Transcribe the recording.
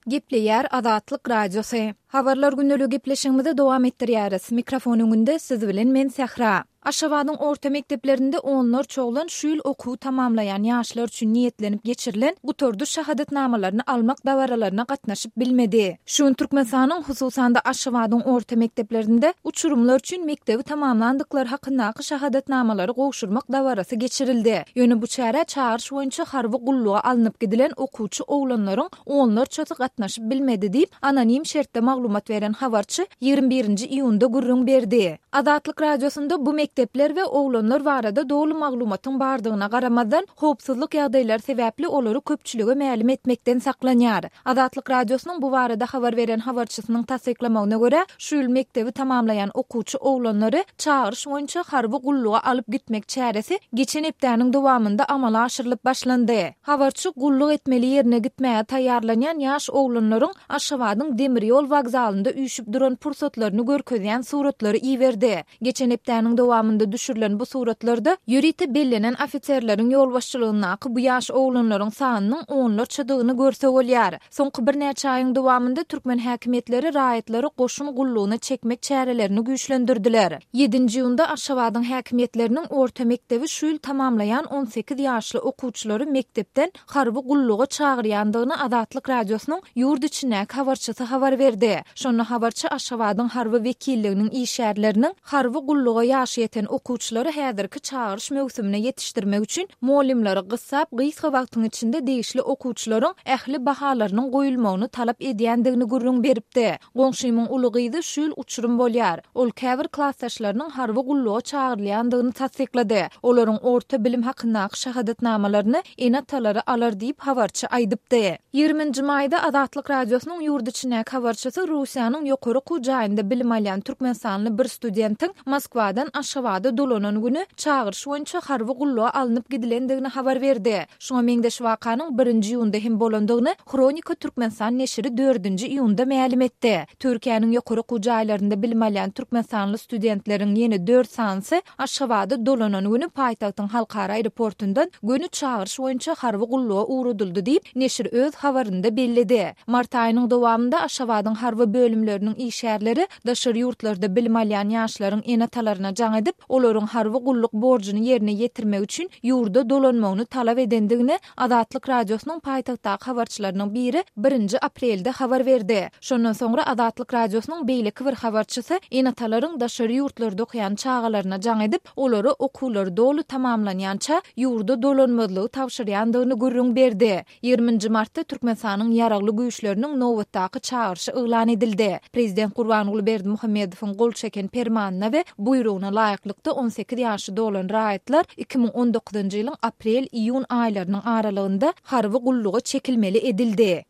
Gepleýär Azatlyk Radiosy. Habarlar gündeligi gepleşigimizi dowam etdirýäris. Mikrofon öňünde siz bilen men Sähra. Aşgabadyň orta mekdeplerinde onlarça oglan şu ýyl okuwy tamamlaýan ýaşlar üçin niýetlenip geçirilen gutardyş şahadatnamalaryny almak dabaralaryna gatnaşyp bilmedi. Şu gün Türkmenistanyň, hususan-da Aşgabadyň orta mekdeplerinde uçurymlar üçin mekdebi tamamlandyklary hakyndaky şahadatnamalary gowşurmak dabarasy geçirildi. Ýöne bu çärä çagyryş boýunça harby gulluga alnyp gidilen okuwçy oglanlaryň onlarçasy gatnaşyp bilmedi diýip, anonim şertde maglumat beren habarçy 21 nji iýunda gürrüň berdi. Azatlyk Radiosynda bu mekdepler we oglanlar barada doly maglumatyň bardygyna garamazdan, howpsuzlyk ýagdaýlary sebäpli olary köpçülige mälim etmekden saklanýar. Azatlyk Radiosynyň bu barada habar beren habarçysynyň tassyklamagyna görä, şu ýyl mekdebi tamamlaýan okuwçy oglanlary çagyryş boýunça harby gulluga alyp gitmek çäresi geçen hepdäniň dowamynda amala aşyrylyp başlandy. Habarçy gulluk etmeli ýerine gitmäge taýýarlanýan ýaş oglanlaryň Aşgabadyň demir ýol wokzalynda üýşüp duran pursatlaryny görkezýän suratlary iberdi. Geçen hepdäniň dowamynda düşürilen bu suratlarda ýörite bellenen ofiserleriň ýolbaşçylygyndaky bu ýaş oglanlaryň sanynyň onlarçadygyny görse bolýar. Soňky birnäçe aýyň dowamynda türkmen häkimiýetleri raýatlary goşun gullugyna çekmek çärelerini güýçlendirdiler. Ýedinji iýunda Aşgabadyň häkimiýetleriniň orta mekdebi şu ýyl tamamlaýan 18 ýaşly okuwçylary mekdepden harby gulluga çagyrýandygyny Azatlyk Radiosynyň ýurt içindäki habarçysy habar berdi. Şonda habarçy Aşgabadyň harby wekilliginiň işgärleriniň harby gulluga ýaşy ýeten okuwçylary häzirki çagyryş möwsümine ýetişdirmek üçin mugallymlary gyssap, gysga wagtyň içinde degişli okuwçylaryň ähli bahalarynyň goýulmagyny talap edýändigini gürrüň beripdi. Goňşymyň uly gyzy şu ýyl uçurym bolýar. Ol käbir klasdaşlarynyň harby gulluga çagyrylýandygyny tassyklady. Olaryň orta bilim hakyndaky şahadatnamalaryny ene-atalary alar diýip, habarçy aýdypdy. Ýigriminji maýda Azatlyk Radiosynyň ýurt içindäki habarçysy Russiýanyň ýokary okuw jaýynda bilim alýan türkmenistanly bir studentiň Moskwadan Aşgabada dolanan güni çagyryş boýunça harby gulluga alnyp gidilendigini habar berdi. Şuňa meňzeş wakanyň birinji iýunda hem bolandygyny Hronika Türkmenistan neşiri dördünji iýunda mälim etdi. Türkiýäniň ýokary okuw jaýlarynda bilim alýan türkmenistanly studentleriň ýene dört sanysy Aşgabada dolanan güni paýtagtyň halkara aeroportundan göni çagyryş boýunça harby gulluga ugradyldy diýip, neşir öz habarynda belledi. Mart aýynyň dowamynda Aşgabadyň harby bölümleriniň işgärleri daşary ýurtlarda bilim alýan ýaşlaryň ene-atalaryna jaň edip, olaryň harby gulluk borjuny ýerine ýetirmek üçin ýurda dolanmagyny talap edendigini Azatlyk Radiosynyň paýtagtdaky habarçylarynyň biri birinji aprelde habar berdi. Şondan soňra Azatlyk Radiosynyň beýleki bir habarçysy ene-atalaryň daşary ýurtlarda okaýan çagalaryna jaň edip, olara okuwlary doly tamamlanýança ýurda dolanmazlygy tabşyrýandygyny gürrüň berdi. Ýigriminji martda Türkmenistanyň Ýaragly Güýçleriniň nobatdaky çagyryşy yglan edildi. Prezident Gurbanguly Berdimuhamedowyň gol çeken Permanyna we buýrugyna laýyklykda 18 ýaşy dolan raýatlar 2019-njy ýylyň aprel-iýun aýlarynyň aralygynda harby gulluga çekilmeli edildi.